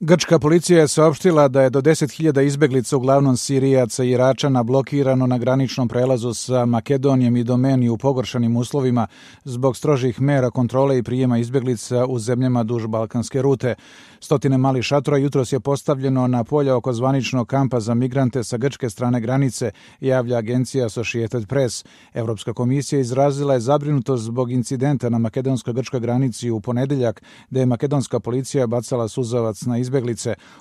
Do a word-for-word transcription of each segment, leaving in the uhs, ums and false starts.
Grčka policija je saopštila da je do deset hiljada izbeglica, uglavnom Sirijaca i Iračana, blokirano na graničnom prelazu sa Makedonijom i Domeni u pogoršanim uslovima zbog strožih mera kontrole i prijema izbeglica u zemljama duž balkanske rute. Stotine malih šatora jutros je postavljeno na polja oko zvaničnog kampa za migrante sa grčke strane granice, javlja agencija Associated Press. Evropska komisija izrazila je zabrinutost zbog incidenta na makedonsko-grčkoj granici u ponedeljak, gde je makedonska policija bacala suzavac na izbeglice.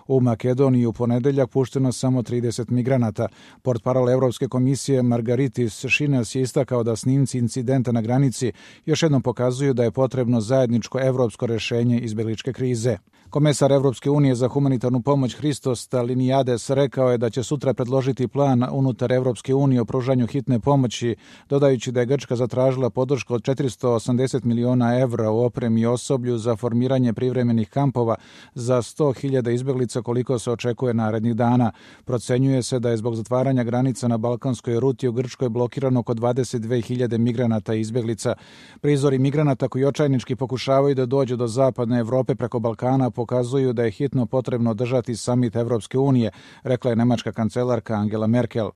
U Makedoniji u ponedeljak pušteno samo trideset migranata. Portparol Evropske komisije Margaritis Šinas je istakao da snimci incidenta na granici još jednom pokazuju da je potrebno zajedničko evropsko rešenje izbegličke krize. Komesar Evropske unije za humanitarnu pomoć Hristos Staliniades rekao je da će sutra predložiti plan unutar Evropske unije o pružanju hitne pomoći, dodajući da je Grčka zatražila podršku od četiristo osamdeset miliona evra u opremi i osoblju za formiranje privremenih kampova za sto hiljada izbeglica koliko se očekuje narednih dana. Procenjuje se da je zbog zatvaranja granica na balkanskoj ruti u Grčkoj blokirano oko dvadeset dve hiljade migranata i izbeglica. Prizori migranata koji očajnički pokušavaju da dođu do zapadne Evrope preko Balkana pokazuju da je hitno potrebno održati samit Evropske unije, rekla je nemačka kancelarka Angela Merkel.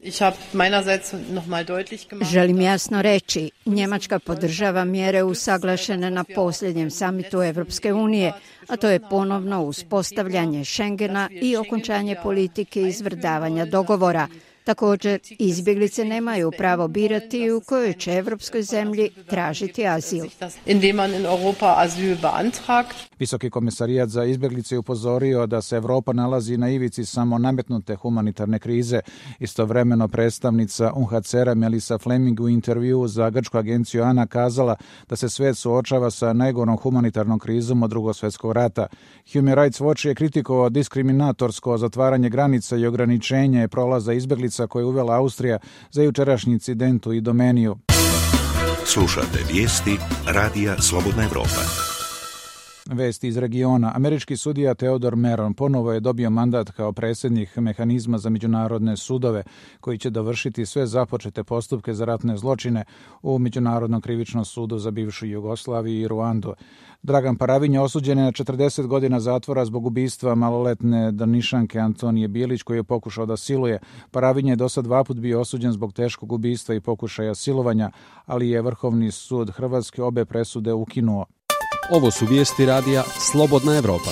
Želim jasno reći, Njemačka podržava mjere usaglašene na posljednjem samitu Evropske unije, a to je ponovno uspostavljanje Schengena i okončanje politike izvrdavanja dogovora. Također, izbjeglice nemaju pravo birati u kojoj će evropskoj zemlji tražiti azil. Visoki komisarijat za izbjeglice je upozorio da se Evropa nalazi na ivici samo nametnute humanitarne krize. Istovremeno predstavnica U N H C R-a Melissa Fleming u intervjuu za grčku agenciju ANA kazala da se svet suočava sa najgorom humanitarnom krizom od Drugog svjetskog rata. Human Rights Watch je kritikovao diskriminatorsko zatvaranje granica i ograničenje prolaza izbjeglica koje je uvela Austrija za jučerašnji incident u Idomeniju. Slušate vijesti Radija Slobodna Evropa. Vesti iz regiona. Američki sudija Theodore Meron ponovo je dobio mandat kao predsjednik mehanizma za međunarodne sudove, koji će dovršiti sve započete postupke za ratne zločine u Međunarodnom krivičnom sudu za bivšu Jugoslaviju i Ruandu. Dragan Paravinja osuđen je na četrdeset godina zatvora zbog ubistva maloletne Drnišanke Antonije Bilić, koju je pokušao da siluje. Paravinja je do sad dva put bio osuđen zbog teškog ubistva i pokušaja silovanja, ali je Vrhovni sud Hrvatske obe presude ukinuo. Ovo su vijesti radija Slobodna Evropa.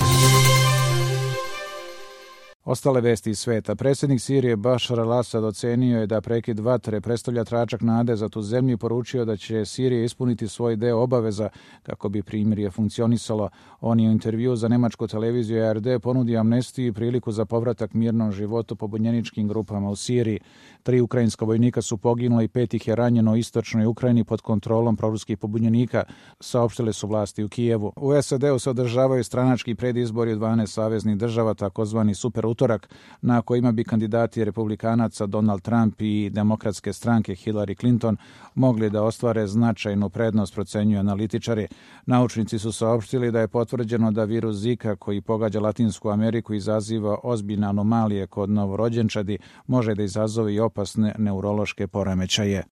Ostale vesti iz sveta. Predsjednik Sirije Bašar al-Asad ocenio je da prekid vatre predstavlja tračak nade za tu zemlju i poručio da će Sirija ispuniti svoj deo obaveza kako bi primirje funkcionisalo. On je u intervjuu za nemačku televiziju R D ponudio amnestiju i priliku za povratak mirnom životu pobunjeničkim grupama u Siriji. Tri ukrajinska vojnika su poginula i pet ih je ranjeno u istočnoj Ukrajini pod kontrolom proruskih pobunjenika, saopštile su vlasti u Kijevu. U S A D-u se održavaju stranački predizbori u dvanaest saveznih država, takozvani super utorak, na kojima bi kandidati republikanaca Donald Trump i demokratske stranke Hillary Clinton mogli da ostvare značajnu prednost, procenjuju analitičari. Naučnici su saopštili da je potvrđeno da virus Zika, koji pogađa Latinsku Ameriku, izaziva ozbiljne anomalije kod novorođenčadi, može da izazove i opasne neurološke poremećaje.